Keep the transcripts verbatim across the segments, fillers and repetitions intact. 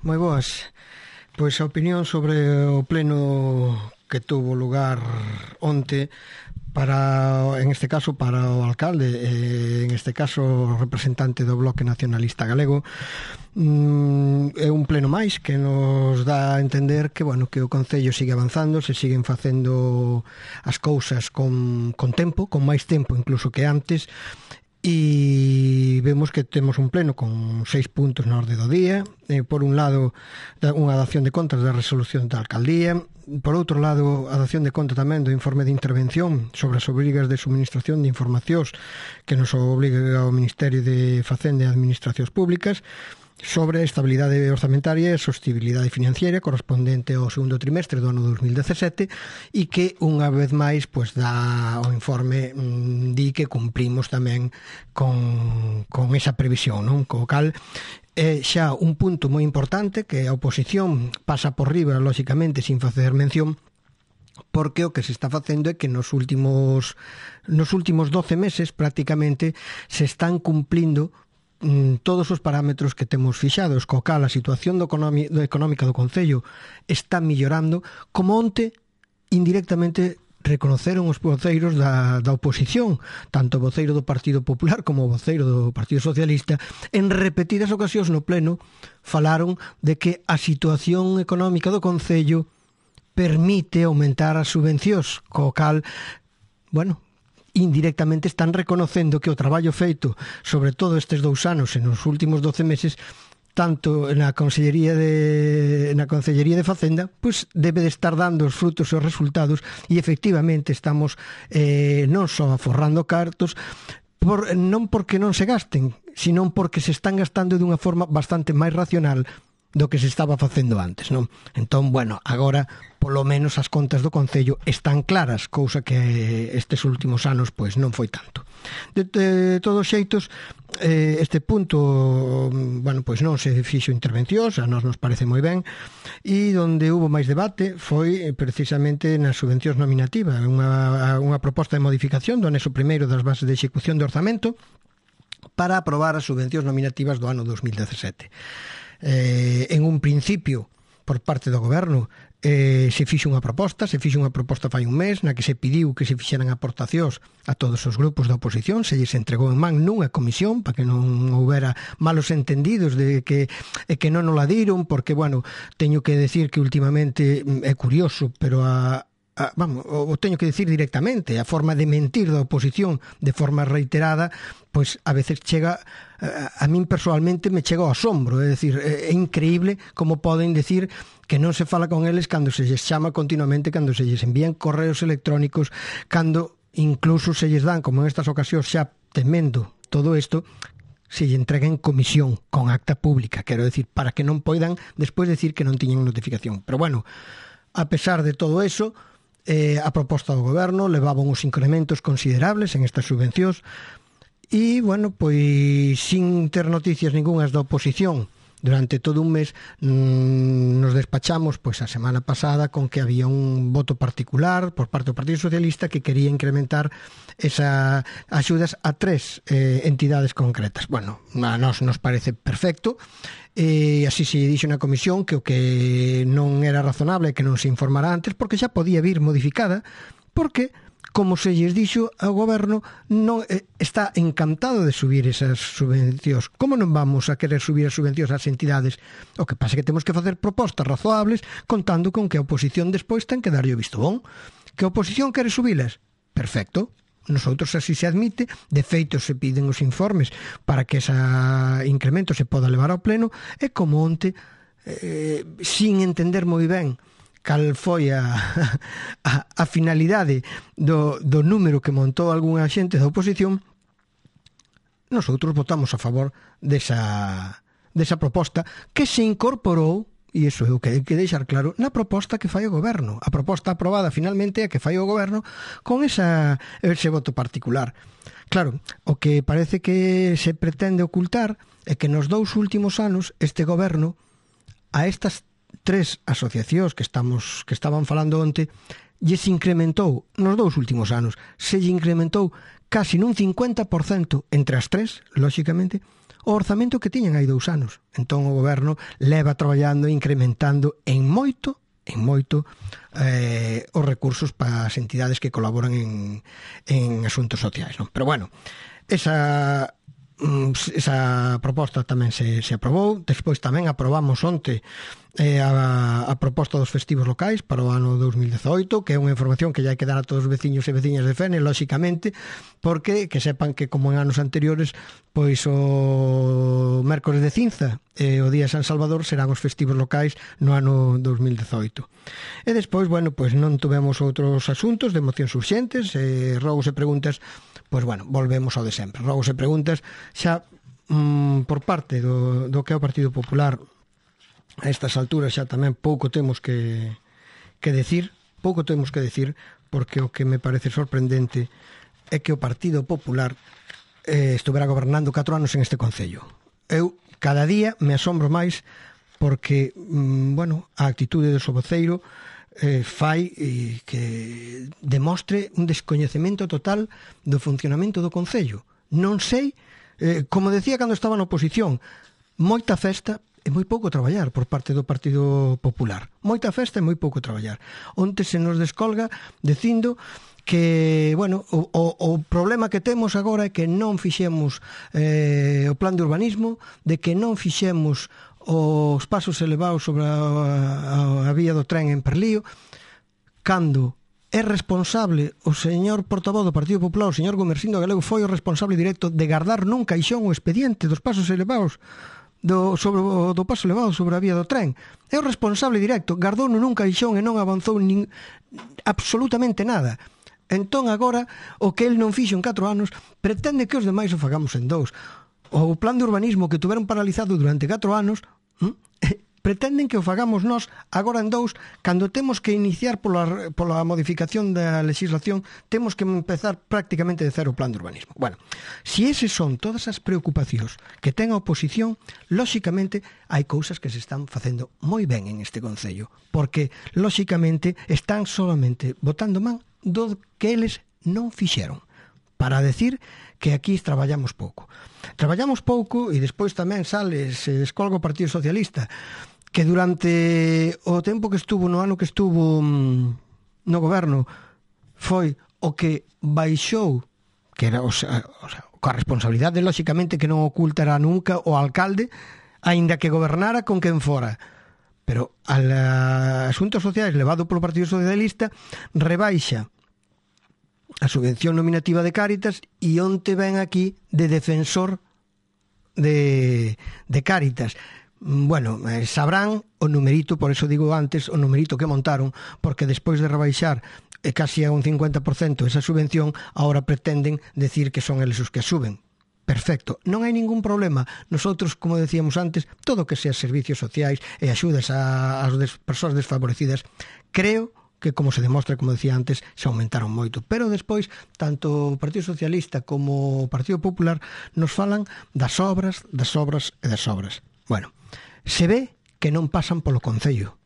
moi boas. Pois a opinión sobre o pleno que tuvo lugar onte para, en este caso, para o alcalde, eh, en este caso representante do Bloque Nacionalista Galego, mm, é un pleno máis que nos dá a entender que, bueno, que o Concello sigue avanzando, se siguen facendo as cousas con, con tempo, con máis tempo incluso que antes, e vemos que temos un pleno con seis puntos na orde do día. Eh, por un lado, unha dación de contas da resolución da alcaldía. Por outro lado, a dación de conta tamén do informe de intervención sobre as obrigas de suministración de informacións que nos obliga o Ministerio de Facenda e Administracións Públicas sobre a estabilidade orzamentaria e a sostibilidade financiera correspondente ao segundo trimestre do ano dos mil dezasete, e que unha vez máis pois dá o informe mmm, di que cumprimos tamén con, con esa previsión, non? Co cal é xa un punto moi importante que a oposición pasa por riba, lóxicamente, sin facer mención, porque o que se está facendo é que nos últimos nos últimos doce meses prácticamente se están cumplindo todos os parámetros que temos fixados, co cal a situación do económica do Concello está millorando, como onte indirectamente reconoceron os voceiros da, da oposición, tanto o voceiro do Partido Popular como o voceiro do Partido Socialista, en repetidas ocasións no pleno falaron de que a situación económica do Concello permite aumentar as subvencións, co cal, bueno, indirectamente están reconocendo que o traballo feito, sobre todo estes dous anos e nos últimos doce meses, tanto na Consellería de na Consellería de Facenda, pois debe de estar dando os frutos e os resultados, e efectivamente estamos eh, non só aforrando cartos, por, non porque non se gasten, sino porque se están gastando de unha forma bastante máis racional do que se estaba facendo antes, non? Entón, bueno, agora polo menos as contas do Concello están claras, cousa que estes últimos anos pois non foi tanto. De, de todos xeitos, eh, este punto, bueno, pois non se fixo intervencións, a nos nos parece moi ben, e onde hubo máis debate foi precisamente nas subvencións nominativas, unha, unha proposta de modificación do anexo primeiro das bases de execución de orzamento para aprobar as subvencións nominativas do ano dos mil dezasete. Eh, en un principio, por parte do Goberno, eh, se fixo unha proposta, se fixo unha proposta fai un mes, na que se pediu que se fixeran aportacións a todos os grupos da oposición, se lles entregou en man nunha comisión, para que non houbera malos entendidos de que, e que non o la diron, porque, bueno, teño que decir que últimamente é curioso, pero a Ah, vamos, o teño que decir directamente, a forma de mentir da oposición de forma reiterada, pois a veces chega, a, a min personalmente me chega ao asombro, é dicir, é, é increíble como poden decir que non se fala con eles cando se lles chama continuamente, cando se lles envían correos electrónicos, cando incluso se lles dan, como en estas ocasións xa temendo todo isto, se lle entrega en comisión con acta pública, quero decir, para que non poidan despois decir que non tiñen notificación. Pero bueno, a pesar de todo eso, Eh, a proposta do Goberno levaba uns incrementos considerables en estas subvencións e, bueno, pois sin ter noticias ningunhas da oposición durante todo un mes, mmm, nos despachamos pois a semana pasada con que había un voto particular por parte do Partido Socialista que quería incrementar esas axudas a tres eh, entidades concretas. Bueno, a nós nos parece perfecto, e así se dixo na comisión que o que non era razonable que non se informara antes, porque xa podía vir modificada, porque, como se lles dixo ao Goberno, non eh, está encantado de subir esas subvencións. Como non vamos a querer subir as subvencións ás entidades? O que pasa é que temos que facer propostas razoables, contando con que a oposición despois ten que darlle o visto bon. Que a oposición quere subilas? Perfecto. Nosotros así se admite, de feito se piden os informes para que ese incremento se poda levar ao pleno, e como onte, eh, sin entender moi ben cal foi a, a, a finalidade do, do número que montou algunha xente da oposición, nosotros votamos a favor desa, desa proposta que se incorporou, e iso é o que hai que deixar claro, na proposta que fai o Goberno. A proposta aprobada finalmente é a que fai o Goberno con esa, ese voto particular. Claro, o que parece que se pretende ocultar é que nos dous últimos anos este Goberno a estas tres asociacións que estamos que estaban falando onte lles incrementou, nos dous últimos anos, se lle incrementou casi nun cincuenta por cento entre as tres, lóxicamente, o orzamento que tiñan hai dous anos. Entón o goberno leva traballando e incrementando en moito, en moito, eh, os recursos para as entidades que colaboran en, en asuntos sociais, non? Pero bueno, esa... esa proposta tamén se, se aprobou. Despois tamén aprobamos onte eh, a, a proposta dos festivos locais para o ano dos mil dezoito, que é unha información que ya hai que dar a todos os veciños e veciñas de Fene, lóxicamente, porque que sepan que como en anos anteriores, pois o mércores de cinza e o día de San Salvador serán os festivos locais no ano dos mil dezoito. E despois, bueno, pois non tuvemos outros asuntos de mocións urxentes, eh, rogos e preguntas. Pois bueno, volvemos ao de sempre. Rogos e preguntas xa mm, por parte do, do que é o Partido Popular. A estas alturas xa tamén pouco temos que, que decir, pouco temos que decir, porque o que me parece sorprendente é que o Partido Popular eh, estuvera gobernando catro anos en este concello. Eu cada día me asombro máis porque, mm, bueno, a actitude do seu voceiro Eh, fai eh, que demostre un descoñecemento total do funcionamento do Concello. Non sei, eh, como decía cando estaba na oposición, moita festa e moi pouco traballar por parte do Partido Popular. Moita festa e moi pouco traballar. Onte se nos descolga dicindo que, bueno, o, o, o problema que temos agora é que non fixemos eh, o plan de urbanismo, de que non fixemos os pasos elevados sobre a, a, a vía do tren en Perlío, cando é responsable o señor portavoz do Partido Popular, o señor Gomersindo Galego, foi o responsable directo de guardar nun caixón o expediente dos pasos elevados do, sobre, do paso elevado sobre a vía do tren. É o responsable directo, guardou nun caixón e non avanzou nin, absolutamente nada. Entón agora, o que el non fixo en catro anos, pretende que os demais o fagamos en dous. O plan de urbanismo que tuveron paralizado durante catro anos, ¿eh? pretenden que o fagamos nós agora en dous, cando temos que iniciar pola, pola modificación da legislación, temos que empezar prácticamente de cero o plan de urbanismo. Bueno, si eses son todas as preocupacións que ten a oposición, lóxicamente hai cousas que se están facendo moi ben en este concello, porque lóxicamente están solamente botando man do que eles non fixeron, para decir que aquí traballamos pouco. Traballamos pouco e despois tamén sale, se descolga o Partido Socialista, que durante o tempo que estuvo, no ano que estuvo no goberno, foi o que baixou, que era o sea, o sea, coa responsabilidade, lóxicamente, que non ocultará nunca o alcalde, aínda que gobernara con quen fora. Pero al asuntos sociais levado polo Partido Socialista rebaixa a subvención nominativa de Cáritas e onte ven aquí de defensor de, de Cáritas. Bueno, eh, sabrán o numerito, por eso digo antes, o numerito que montaron, porque despois de rebaixar eh, casi a un cincuenta por cento esa subvención, ahora pretenden decir que son eles os que suben. Perfecto, non hai ningún problema. Nosotros, como decíamos antes, todo o que sea servicios sociais e axudas ás des, persoas desfavorecidas, creo que, como se demostra, como decía antes, se aumentaron moito. Pero despois, tanto o Partido Socialista como o Partido Popular nos falan das obras, das obras e das obras. Bueno, se ve que non pasan polo Concello,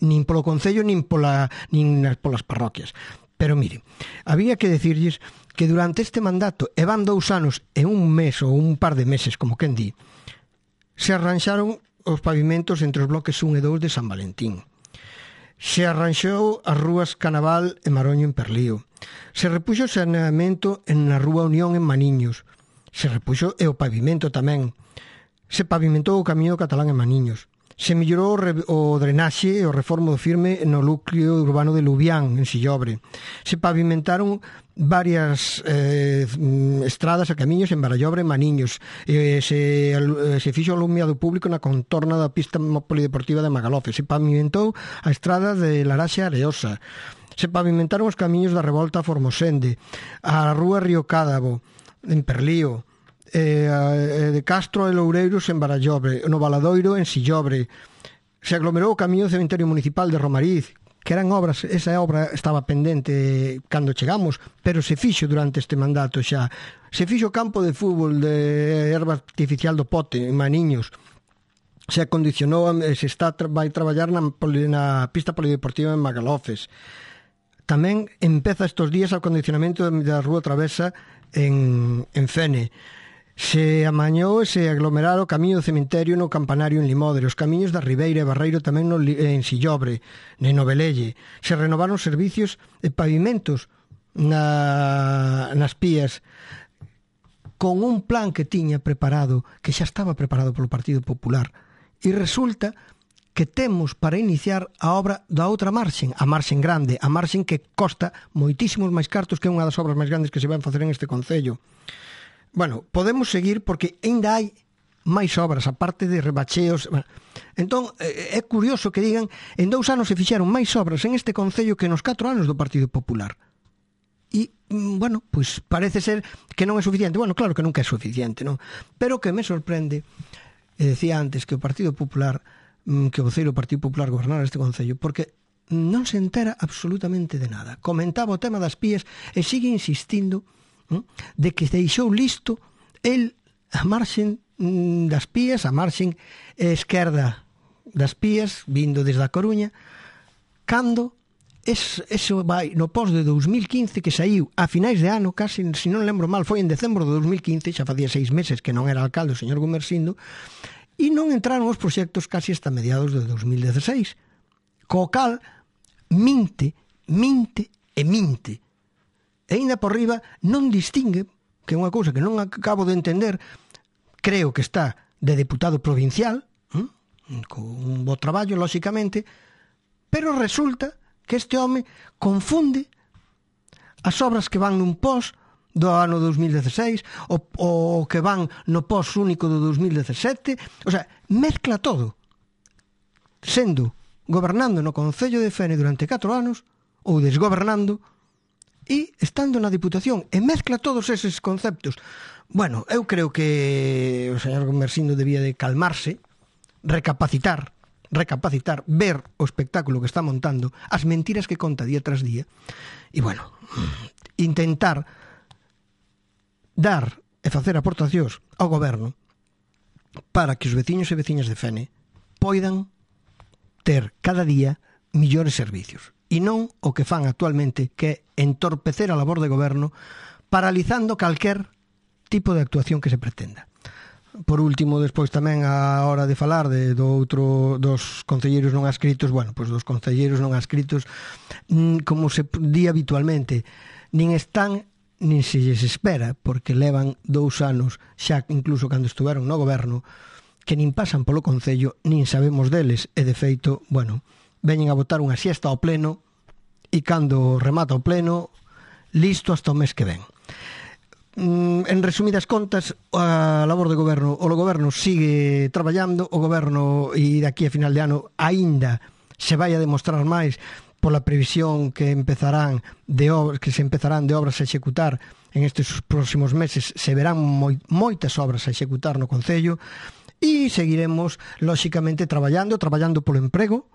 nin polo Concello, nin, pola, nin polas parroquias. Pero mire, había que decirlles que durante este mandato, e van dous anos e un mes ou un par de meses, como quen di, se arranxaron os pavimentos entre os bloques un e dous de San Valentín. Se arranxou as rúas Canaval e Maroño en Perlío. Se repuxo o saneamento na Rúa Unión en Maniños. Se repuxo e o pavimento tamén. Se pavimentou o camiño catalán en Maniños. Se mellorou o drenaxe e o reformo do firme no núcleo urbano de Lubián, en Sillobre. Se pavimentaron varias eh, estradas e camiños en Barallobre e Maniños. Eh, se, se fixo alumiado público na contorna da pista polideportiva de Magalofe. Se pavimentou a estrada de Laraxe Areosa. Se pavimentaron os camiños da Revolta a Formosende, a rúa Río Cádavo en Perlío, eh, de Castro e Loureiros en Barallobre, no Valadoiro en Sillobre. Se aglomerou o camiño do Cementerio Municipal de Romariz, que eran obras, esa obra estaba pendente cando chegamos, pero se fixo durante este mandato xa. Se fixo o campo de fútbol de erva artificial do Pote, en Maniños. Se acondicionou, se está, vai traballar na, na pista polideportiva en Magalofes. Tamén empeza estes días o acondicionamento da Rúa Travesa en, en Fene. Se amañou e se aglomeraron o camiño do cemiterio no Campanario en Limodre, os camiños da Ribeira e Barreiro tamén no, en Sillobre, en Novelelle. Se renovaron servicios e pavimentos na, nas pías con un plan que tiña preparado, que xa estaba preparado polo Partido Popular. E resulta que temos para iniciar a obra da outra marxen, a marxen grande, a marxen que costa moitísimos máis cartos, que é unha das obras máis grandes que se van facer en este concello. Bueno, podemos seguir porque ainda hai máis obras, aparte de rebacheos. Entón, é curioso que digan, en dous anos se fixeron máis obras en este concello que nos catro anos do Partido Popular. E, bueno, pois parece ser que non é suficiente. Bueno, claro que nunca é suficiente, non? Pero que me sorprende, e decía antes que o Partido Popular, que o voceiro do Partido Popular gobernara este concello, porque non se entera absolutamente de nada. Comentaba o tema das pías e sigue insistindo de que deixou listo el a marxen das pías, a marxen esquerda das pías, vindo desde a Coruña, cando es, eso vai no pos de dous mil quince, que saiu a finais de ano, casi, se non lembro mal, foi en decembro de dous mil quince, xa facía seis meses que non era alcalde o señor Gumersindo, e non entraron os proxectos casi hasta mediados de dous mil dieciséis, co cal minte, minte e minte. E ainda por riba non distingue, que é unha cousa que non acabo de entender, creo que está de deputado provincial, hm? con un bo traballo, lóxicamente, pero resulta que este home confunde as obras que van nun pos do ano dous mil dieciséis o, o que van no pos único do dous mil diecisiete, o sea, mezcla todo, sendo gobernando no Concello de Fene durante catro anos ou desgobernando e estando na Diputación, e mezcla todos eses conceptos. Bueno, eu creo que o señor Gumersindo debía de calmarse, recapacitar, recapacitar, ver o espectáculo que está montando, as mentiras que conta día tras día, e bueno, intentar dar e facer aportacións ao goberno para que os veciños e veciñas de Fene poidan ter cada día millores servicios. E non o que fan actualmente, que é entorpecer a labor de goberno, paralizando calquer tipo de actuación que se pretenda. Por último, despois tamén a hora de falar de, do outro, dos concelleiros non adscritos, bueno, pois dos concelleiros non adscritos, como se di habitualmente, nin están nin se lles espera, porque levan dous anos, xa incluso cando estuveron no goberno, que nin pasan polo concello, nin sabemos deles, e de feito, bueno, veñen a botar unha siesta ao pleno e cando remata o pleno, listo hasta o mes que ven. En resumidas contas, a labor de goberno, o goberno sigue traballando, o goberno, e daqui a final de ano aínda se vai a demostrar máis pola previsión que empezarán de obras, que se empezarán de obras a executar en estes próximos meses, se verán moi, moitas obras a executar no concello, e seguiremos lóxicamente traballando, traballando polo emprego,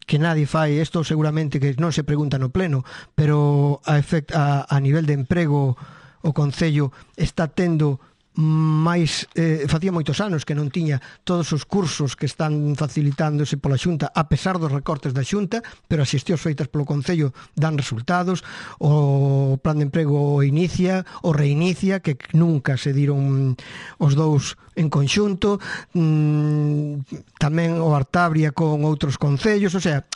que nadie fai isto, seguramente que non se pregunta no pleno, pero a, efect, a, a nivel de emprego o concello está tendo máis, eh, facía moitos anos que non tiña todos os cursos que están facilitándose pola Xunta, a pesar dos recortes da Xunta, pero as xestións feitas polo concello dan resultados. O plan de emprego inicia, o reinicia, que nunca se diron os dous en conxunto, mm, tamén o Artabria con outros concellos, o sea,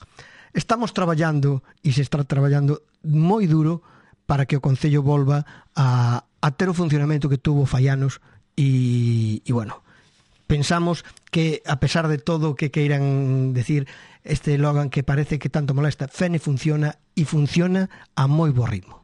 estamos traballando e se está traballando moi duro para que o concello volva a a ter o funcionamento que tuvo fai anos e, e bueno, pensamos que a pesar de todo o que queiran decir este Logan que parece que tanto molesta, Fene funciona e funciona a moi bo ritmo.